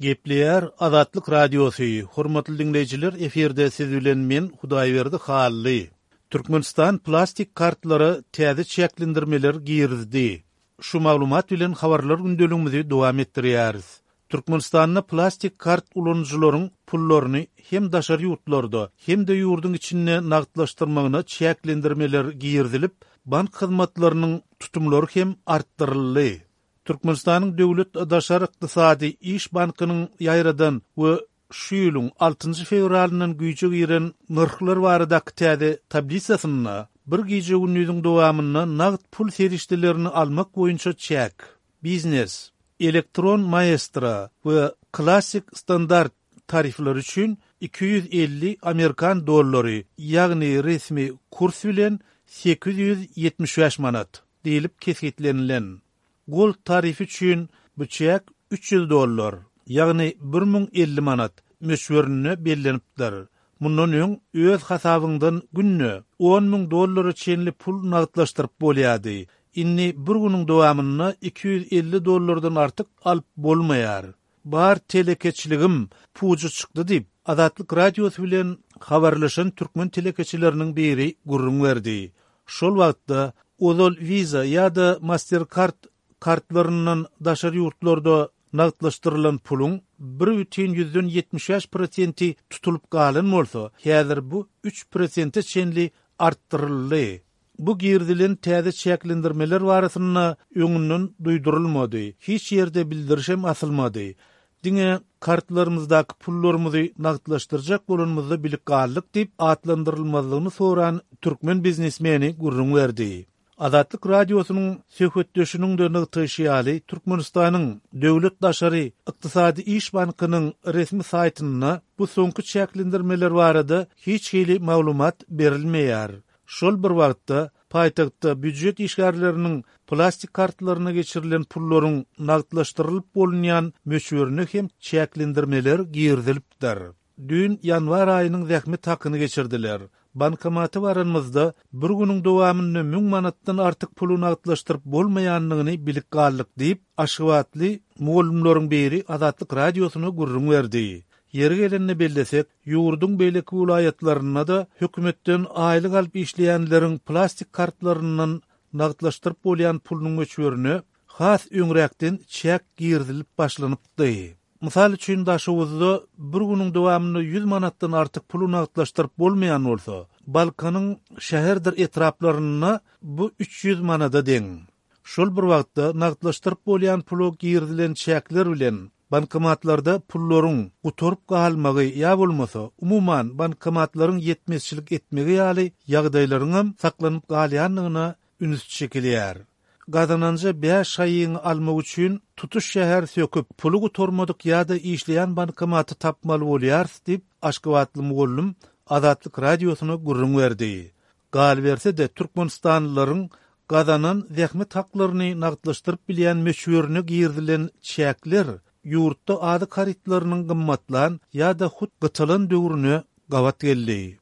Gepleýär Azatlyk Radiosy, Hormatly diňleýjiler efirde siz bilen men Hudaýberdi Hally. Türkmenistan plastik kartlara täze çäklendirmeler girizdi. Şu maglumat bilen habarlar gündeligimizi dowam etdirýäris. Türkmenistanda plastik kart ulanyjylaryň pullaryny hem daşary ýurtlarda, hem-de ýurduň içinde nagtlaşdyrmagyna çäklendirmeler girizilip, bank hyzmatlarynyň tutumlary hem artdyryldy. Türkmenistanyň Döwlet daşary ykdysady iş bankynyň ýaýradan we şu ýylyň altynjy fewralyndan güýje giren nyrhlar baradaky täze tablisasynda bir gije-gündiziň dowamynda nagt pul serişdelerini almak boýunça çäk, biznes, elektron maestro we klassyk standart tarifleri üçin 250 amerikan dollary, ýagny resmi kurs bilen 875 manat. Diýlip kesgitlenilen. Gold tarifi üçin bu çäk 300 dollar, ýagny 1050 manat, möçberinde bellenipdir. Mundan öň öz hasabyňdan günde on müň dollara çenli pul nagtlaşdyryp bolýardy. Indi bir günüň dowamynda 250 dollardan artyk alyp bolmaýar. Bar telekeçiligim puja çykdy diýip, Azatlyk Radiosy bilen habarlaşan türkmen telekeçileriniň biri gürrüň berdi. Şol wagtda, ozal Visa ýa-da Mastercard kartlaryndan daşary ýurtlarda nagtlaşdyrylan puluň bir bütin ýüzden 75 prosenti tutulyp galan bolsa, häzir bu üç prosente çenli artdyryldy. Bu girizilen täze çäklendirmeler barasynda öňünden duýdurylmady, hiç ýerde bildirişem asylmady. Diňe kartlarymyzdaky pullarymyzy nagtlaşdyrjak bolanymyzda bilip galdyk diýip, atlandyrylmazlygyny soran türkmen biznesmeni gürrüň berdi. Azatlyk Radiosynyň söhbetdeşiniň-de nygtaýşy ýaly, Türkmenistanyň Döwlet daşary ykdysady iş bankynyň resmi saýtynda bu soňky çäklendirmeler barada hiç hili maglumat berilmeýär. Şol bir wagtda, paýtagtda býujet işgärleriniň plastik kartlaryna geçirilen pullaryň nagtlaşdyrylyp bolunýan möçberine hem çäklendirmeler girizilipdir. Düýn ýanwar aýynyň zähmet hakyny geçirdiler. Bankomata baranymyzda, bir günüň dowamynda müň manatdan artyk puly nagtlaşdyryp bolmaýandygyny bilip galdyk diýip, aşgabatly mugallymlaryň biri Azatlyk Radiosyna gürrüň berdi. Ýeri gelende bellesek, ýurduň beýleki welaýatlarynda-da hökümetden aýlyk alyp işleýänleriň plastik kartlaryndan nagtlaşdyryp bolýan pulunyň möçberine has öňräkden çäk girizilip başlanypdy. Mysal üçin, Daşoguzda bir günüň dowamynda ýüz manatdan artyk puly nagtlaşdyryp bolmaýan bolsa, Balkanyň şäherdir etraplarynda bu 300 manada deň. Şol bir wagtda, nagtlaşdyryp bolýan pula girizilen çäkler bilen bankomatlarda pullaryň gutaryp galmagy ýa bolmasa, umuman, bankomatlaryň ýetmezçilik etmegi ýaly ýagdaýlaryňam saklanyp galýandygyna üns çekilýär. Gazananja bäş şaýyňy almak üçin tutuş şäher söküp, puly gutarmadyk ýa-da işleýän bankomaty tapmaly bolýarys diýip, aşgabatly mugallym Azatlyk Radiosyna gürrüň berdi. Galyberse-de, türkmenistanlylaryň gazanan zähmet haklaryny nagtlaşdyryp bilýän möçberine girizilen çäkler ýurtda azyk harytlarynyň gymmatlan ýa-da hut gytalan döwrüne gabat geldi.